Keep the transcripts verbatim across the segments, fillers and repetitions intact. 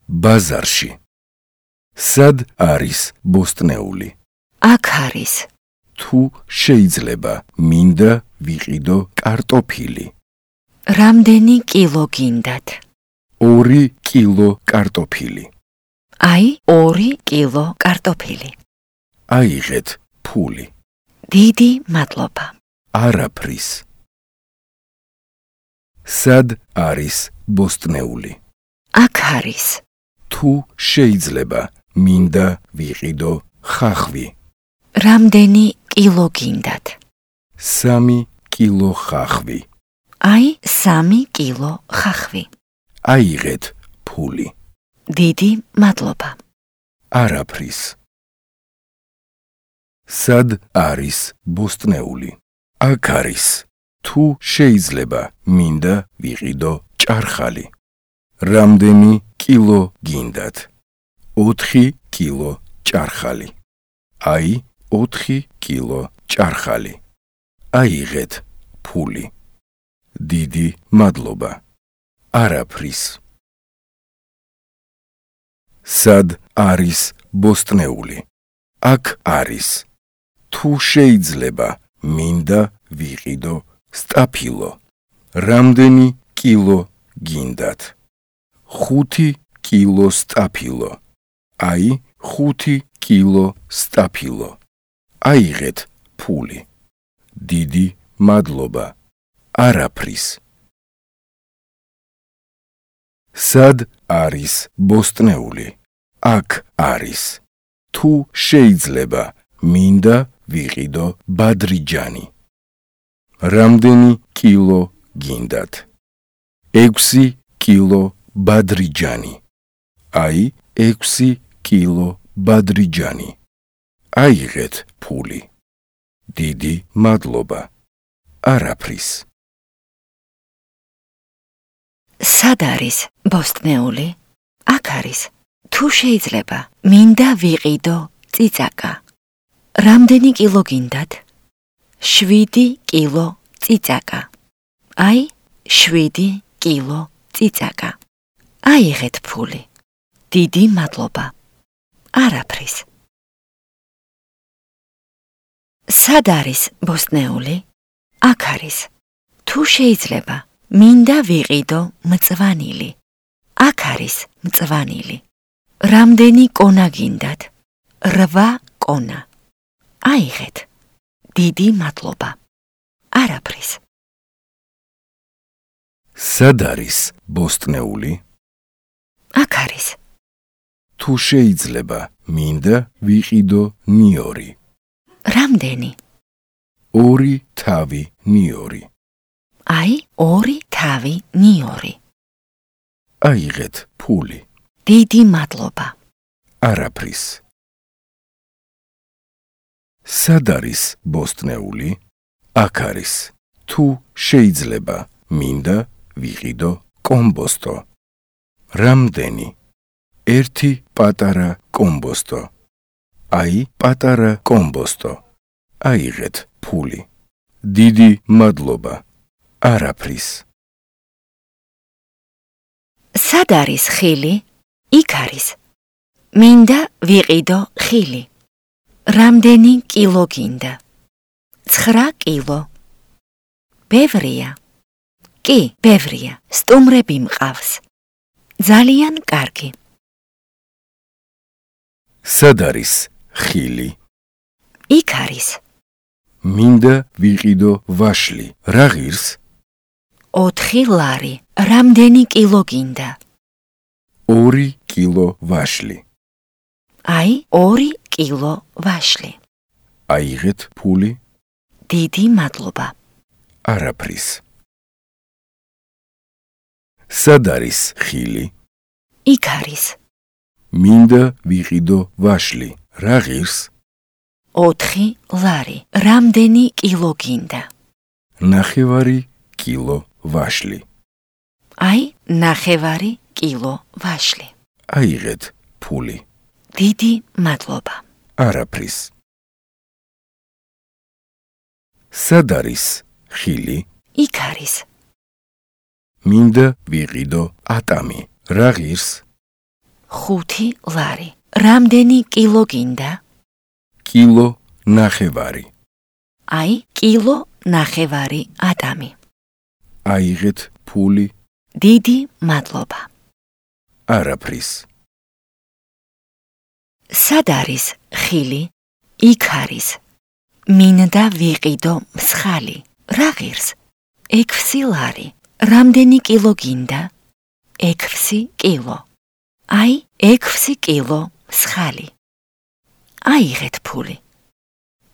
ბაზარში. სად არის ბოსტნეული? აქ არის. თუ შეიძლება მინდა ვიყიდო კარტოფილი. რამდენი კილო გინდათ? ორი კილო კარტოფილი. აი, ორი კილო კარტოფილი. აიღეთ ფული. დიდი მადლობა. არაფრის. სად არის ბოსტნეული? აქ არის. თუ შეიძლება მინდა ვიყიდო ხახვი. რამდენი კილო გინდათ? სამი კილო ხახვი. აი, სამი კილო ხახვი. აიღეთ ფული. დიდი მადლობა. არაფრის. სად არის ბოსტნეული? აქ არის. თუ შეიძლება მინდა ვიყიდო ჭარხალი. რამდენი კილო გინდათ? ოთხი კილო ჭარხალი. აი, ოთხი კილო ჭარხალი. აიღეთ ფული. დიდი მადლობა. არაფრის. სად არის ბოსტნეული? აქ არის. თუ შეიძლება მინდა ვიყიდო სტაფილო. რამდენი კილო გინდათ? ხუთი კილო სტაფილო. აი, ხუთი კილო სტაფილო. აიღეთ ფული. დიდი მადლობა. არაფრის. სად არის ბოსტნეული? აქ არის. თუ შეიძლება მინდა ვიყიდო ბადრიჯანი. რამდენი კილო გინდათ? ექვსი კილო ბადრიჯანი. აი, ექვსი კილო ბადრიჯანი. აიღეთ ფული. დიდი მადლობა. არაფრის. სად არის ბოსტნეული? აქ არის. თუ შეიძლება მინდა ვიყიდო წიწაკა. რამდენი კილო გინდათ? შვიდი კილო წიწაკა. აი, შვიდი კილო წიწაკა. აიღეთ ფული. დიდი მადლობა. არაფრის. სად არის ბოსტნეული? აქ არის. თუ შეიძლება მინდა ვიყიდო მწვანილი. აქ არის მწვანილი. რამდენი კონა გინდათ? რვა კონა. აიღეთ. დიდი მადლობა. არაფრის. სად არის ბოსტნეული? აქ არის. თუ შეიძლება მინდა ვიყიდო ნიორი. რამდენი? ორი თავი ნიორი. აი, ორი თავი ნიორი. აიღეთ ფული. დიდი მადლობა. არაფრის. სად არის ბოსტნეული? აქ არის. თუ შეიძლება მინდა ვიყიდო კომბოსტო. რამდენი? ერთი პატარა კომბოსტო. აი, პატარა კომბოსტო. აიღეთ ფული. დიდი მადლობა. არაფრის. სად არის ხილი? იქ არის. მინდა ვიყიდო ხილი. რამდენი კილო გინდა? ცხრა კილო. ბევრია. კი, ბევრია. სტუმრები მყავს. ძალიან კარგი. სად არის ხილი? იქ არის. მინდა ვიყიდო ვაშლი. რა ღირს? ოთხი ლარი. რამდენი კილო გინდა? ორი კილო ვაშლი. აი, ორი კილო ვაშლი. აიღეთ ფული. დიდი მადლობა. არაფრის. სად არის ხილი? იქ არის. მინდა ვიყიდო ვაშლი. რა ღირს? ოთხი ლარი. რამდენი კილო გინდა? ნახევარი კილო ვაშლი. აი, ნახევარი კილო ვაშლი. აიღეთ ფული. დიდი მადლობა. არაფრის. სად არის ხილი? იქ არის. მინდა ვიყიდო ატამი. რა ღირს? ხუთი ლარი. რამდენი კილო გინდა? კილო ნახევარი. აი, კილო ნახევარი ატამი. აიღეთ ფული. დიდი მადლობა. არაფრის. სად არის ხილი? იქ არის. მინდა ვიყიდო მსხალი. რა ღირს? ექვსი ლარი. რამდენი კილო გინდა? ექვსი კილო. აი, ექვსი კილო მსხალი. აიღეთ ფული.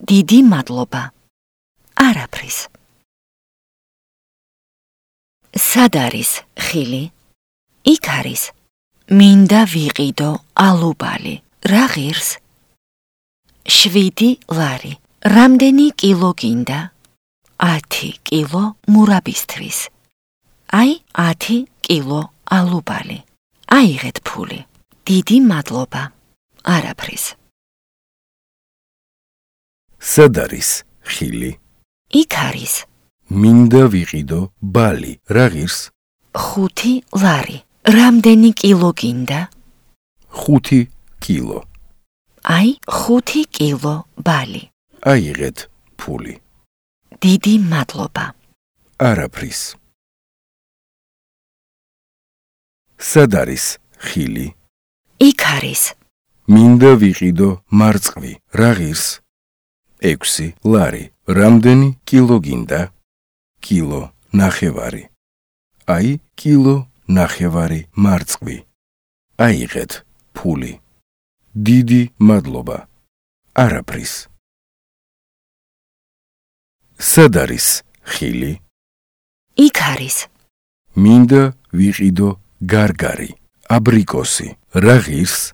დიდი მადლობა. არაფრის. სად არის ხილი? იქ არის. მინდა ვიყიდო ალუბალი. რა ღირს? შვიდი ლარი. რამდენი კილო გინდა? ათი კილო მურაბისთვის. აი, ათი კილო ალუბალი. აიღეთ ფული. დიდი მადლობა. არაფრის. სად არის ხილი? იქ არის. მინდა ვიყიდო ბალი. რა ღირს? ხუთი ლარი. რამდენი კილო გინდა? ხუთი კილო. აი, ხუთი კილო ბალი. აიღეთ ფული. დიდი მადლობა. არაფრის. სად არის ხილი? იქ არის. მინდა ვიყიდო მარწყვი. რა ღირს? ექვსი ლარი. რამდენი კილო გინდა? კილო ნახევარი. აი, კილო ნახევარი მარწყვი. აიღეთ ფული. დიდი მადლობა. არაფრის. სად არის ხილი? იქ არის. მინდა ვიყიდო გარგარი. აბრიკოსი. რა ღირს?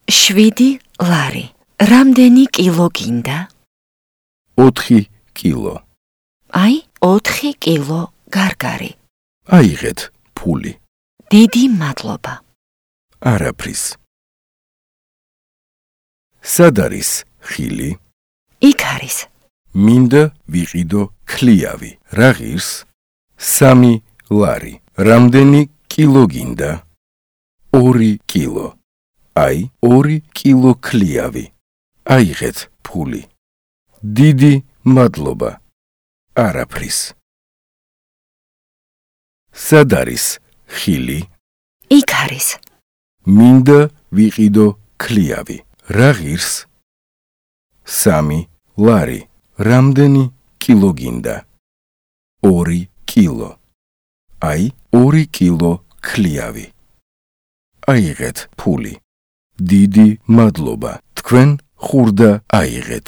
შვიდი ლარი. რამდენი კილო გინდა? ოთხი კილო. აი, ოთხი კილო გარგარი. აიღეთ ფული. დიდი მადლობა. არაფრის. სად არის ხილი? იქ არის. მინდა ვიყიდო ქლიავი. რა ღირს? სამი ლარი. რამდენი კილო გინდა? ორი კილო. აი, ორი კილო ქლიავი. აიღეთ ფული. დიდი მადლობა. არაფრის. სად არის ხილი? იქ არის. მინდა ვიყიდო ქლიავი. რა ღირს? სამი ლარი. რამდენი კილო გინდა? ორი კილო. აი, ორი კილო ქლიავი. აიღეთ ფული. დიდი მადლობა. თქვენ ხურდა აიღეთ.